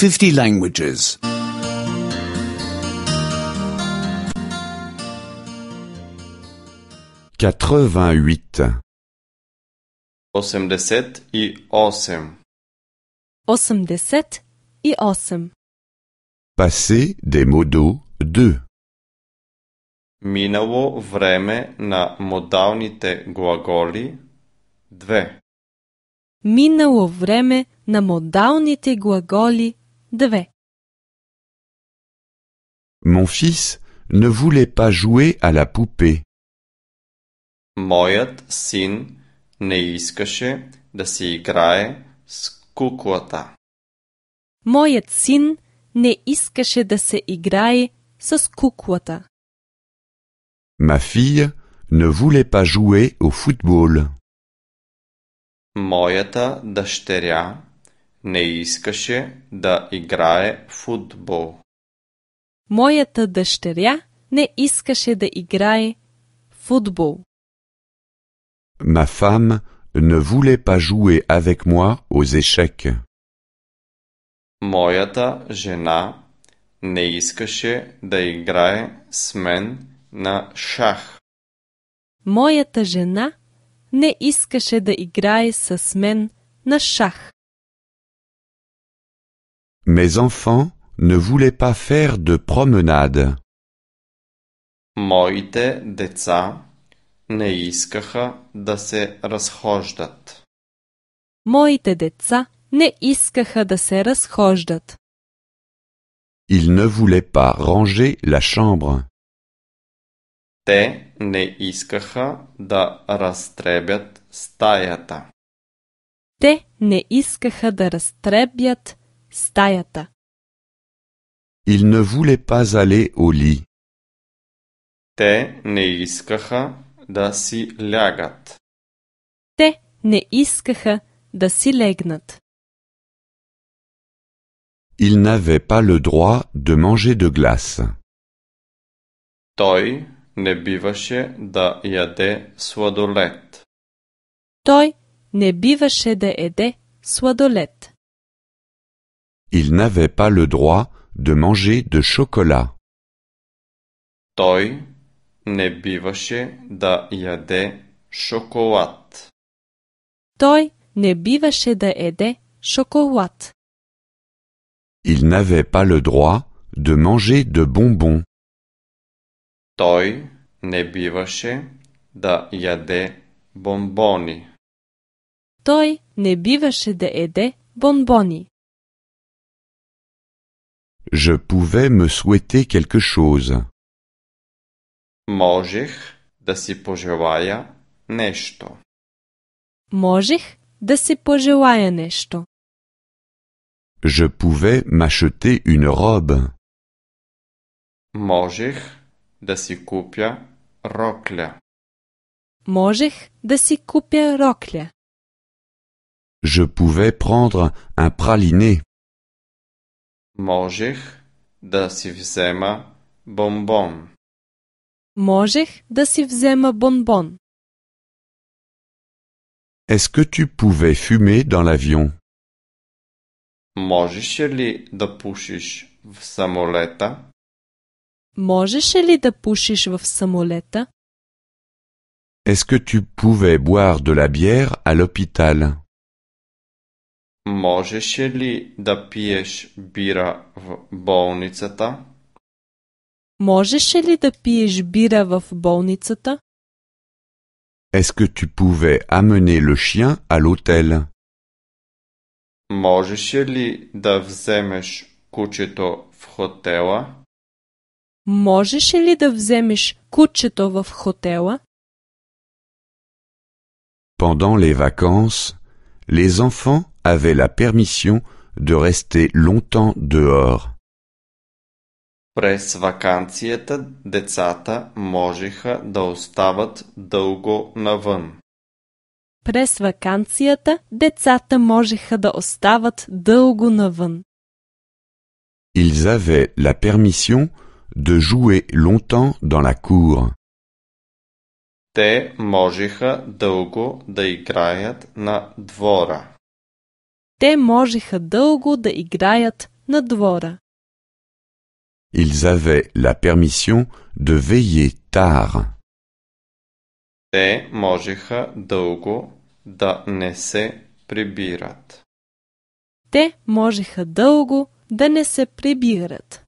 50 languages. 88. 88. 88. Passé des modos 2. Минало време на модалните глаголи 2. Минало време на модалните глаголи 2. Mon fils ne voulait pas jouer à la poupée. Моят син не искаше да си играе с куклата. Моят син не искаше да се играе с куклата. Ma fille ne voulait pas jouer au football. Моята дъщеря не искаше да играе футбол. Моята дъщеря не искаше да играе футбол. Ma femme ne voulait pas jouer avec moi aux échecs. Моята жена не искаше да играе с мен на шах. Моята жена не искаше да играе с мен на шах. Mes enfants ne voulaient pas faire de promenade. Моите деца не искаха да се разхождат. Моите деца не искаха да се разхождат. Ils ne voulaient pas ranger la chambre. Те не искаха да разтребят стаята. Те не искаха да разтребят стаята. Ils ne voulaient pas aller au lit. Те не искаха да си лягат. Те не искаха да си легнат. Ils n'avaient pas le droit de manger de glace. Той не биваше да яде сладолед. Той не биваше да еде сладолед. Ils n'avaient pas le droit de manger de chocolat. Той не биваше да яде шоколад. Той не биваше да еде шоколад. Ils n'avaient pas le droit de manger de bonbons. Той не биваше да яде бомбони. Той не биваше да еде бонбони. Je pouvais me souhaiter quelque chose. Можех да си пожелая нещо. Можех да си пожелая нещо. Je pouvais m'acheter une robe. Можех да си купя рокля. Можех да си купя рокля. Je pouvais prendre un praliné. Можех да си взема бомбон. Можех да си взема бонбон. Est-ce que tu pouvais fumer dans l'avion? Можеше ли да пушиш в самолета? Можеше ли да пушиш в самолета? Est-ce que tu pouvais boire de la bière à l'hôpital? Можеше ли да пиеш бира в болницата? Можеше ли да пиеш бира в болницата? Est-ce que tu pouvais amener le chien à l'hôtel? Можеше ли да вземеш кучето в хотела? Можеше ли да вземеш кучето в хотела? Pendant les vacances, les enfants avaient la permission de rester longtemps dehors. През ваканцията децата можеха да остават дълго навън. През ваканцията децата можеха да остават дълго навън. Ils avaient la permission de jouer longtemps dans la cour. Те можеха дълго да играят на двора. Те можеха дълго да играят на двора. Ils avaient la permission de veiller tard. Те можеха дълго да не се прибират. Те можеха дълго да не се прибират.